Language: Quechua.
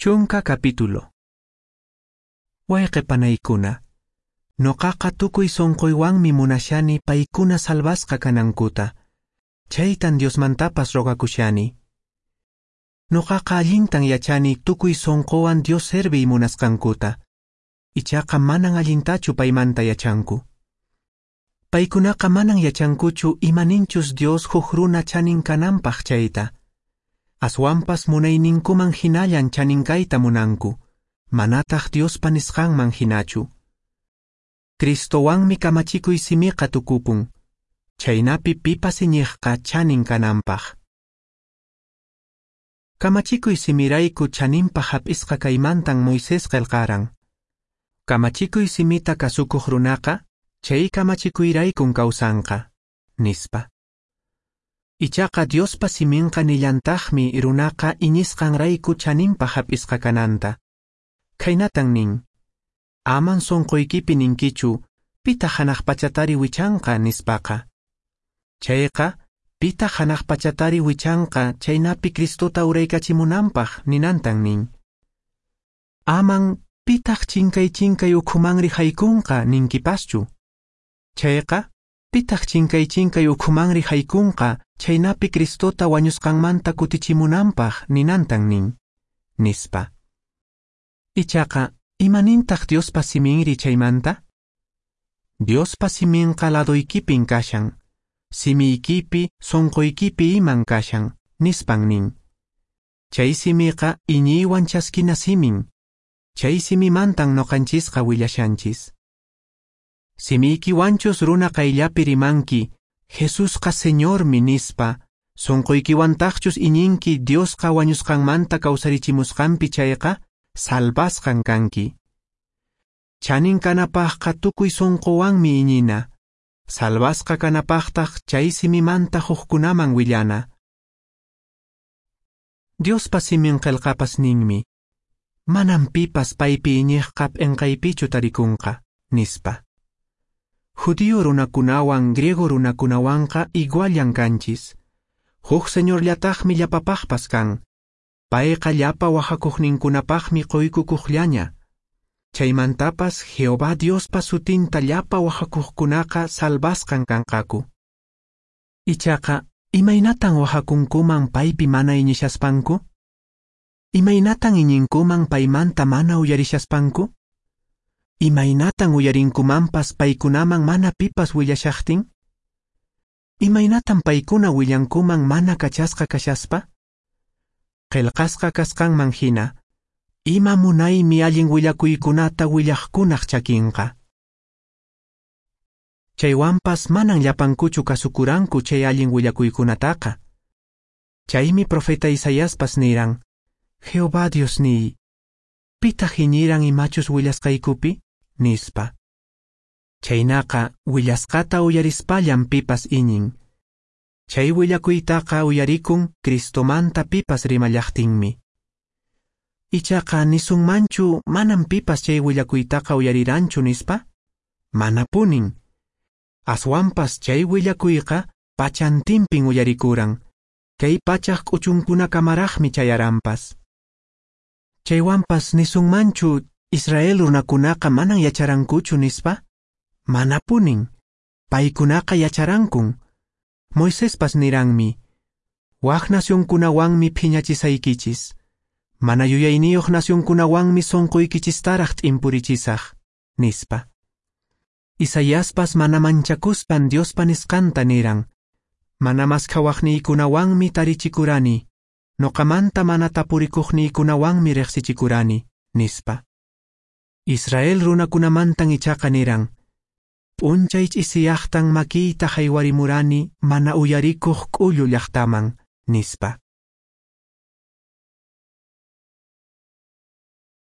10 capítulo. Wayqe panaykuna, noqaqa tukuy sonqoywanmi munashani paykuna salvasqa kanankuta. Chaytan Diosmantapas rogakushani. Noqaqa allintan yachani tukuy sonqowan Dios serviy munasqankuta. Ichaqa manan allintachu paymanta yachanku. Paykunaqa manan yachankuchu imaninchus Dios huk runa chanin kananpaq chayta. Aswanpas munayninkuman hinallan chaninkayta munanku, manataq Diospa nisqanman hinachu. Cristowanmi kamachikuy simiqa tukupun, chaynapi pipas iñiqqa chanin kananpaq. Kamachikuy simirayku chaninpaq hap'isqa kaymantan Moisés qillqaran. Kamachikuy simita kasukuq runaqa, chay kamachikuyraykun kawsanqa, nispa. Ichaqa Diospa siminqa nillantaqmi runaqa iñisqanrayku chaninpaq hap'isqa kananta. Khaynatan nin: Aman sonqoykipi ninkichu, pitaq hanaq pachatari wichanqa nispaqa. Chayqa, pitaq hanaq pachatari wichanqa chaynapi Cristota uraykachimunanpaq ninantan nin. Aman pitaq chinkay chinkay ukhumanri haykunqa ninkipaschu. Chayqa, pitaq chinkay chinkay ukhumanri haykunqa chaynapi Cristota wañusqanmanta kutichimunanpaq ninantan nin, nispa. Ichaqa, imanintaq Diospa siminri chaymanta? Diospa siminqa ladoykipin kashan, simiykipi, sonqoykipi iman kashan, nispan nin. Chay simiqa iñiywan chaskina simin, chay simimantan noqanchisqa willashanchis. Simiykiwanchus runa qayllapi rimanki, Jesusqa Señormi nispa, sonqoykiwantaqchus iñinki Diosqa wañusqanmanta kawsarichimusqanpi chayqa, salvasqan kanki. Chanin kanapaqqa tukuy sonqowanmi iñina, salvasqa kanapaqtaq chay simimanta hukkunaman willana. Diospa simin qillqapas ninmi, manam pipas paypi iñiqqa p'inqaypichu tarikunqa, nispa. Judío runakunawan griego runakunawanqa iguallan kanchis. Huk señorllataqmi llapapaqpas kan. Payqa llapa wahakuqninkunapaqmi qoykukuqllaña. Chaymantapas Jehová Diospa sutinta llapa wahakuqkunaqa salvasqan kanqaku. Ichaqa, imaynatan wahakunkuman paypi mana iñishaspanku? Imaynatan iñinkuman paymanta mana uyarishaspanku? Imaynatan uyarinkumanpas paykunaman mana pipas willashaqtin? Imaynatan paykuna willankuman mana kachasqa kashaspa? Qillqasqa kasqanman hina, ima munaymi allin willakuykunata willaqkunaq chakinqa. Chaywanpas manan llapankuchu kasukuranku chay allin willakuykunataqa. Chaymi profeta Isaiaspas niran, Jehová Diosniy, pitaq iñiran imachus willasqaykupi? Nispa. Chaynaqa willasqata uyarispallan pipas iñin. Chay willakuytaqa uyarikun Cristomanta pipas rimallaqtinmi. Ichaqa nisunmanchu manam pipas chay willakuytaqa uyariranchu nispa? Manapunin. Aswanpas chay willakuyqa pachantinpin uyarikuran. Kay pachaq k'uchunkunakamaraqmi chayaranpas. Chaywanpas nisunmanchu Israel runakunaqa manan yacharankuchu nispa? Manapunin. Paykunaqa yacharankun. Moisespas niranmi, wak nacionkunawanmi phiñachisaykichis. Mana yuyayniyuq nacionkunawanmi sonqoykichistaraq t'impurichisaq, nispa. Isaiaspas mana manchakuspan Diospa nisqanta niran, mana maskhawaqniykunawanmi tarichikurani, noqamanta mana tapurikuqniykunawanmi riqsichikurani, nispa. Israel runakunamantan ichaqa niran, p'unchay ch'isiyaqtan makiyta haywarimurani mana uyarikuq k'ullu llaqtaman, nispa.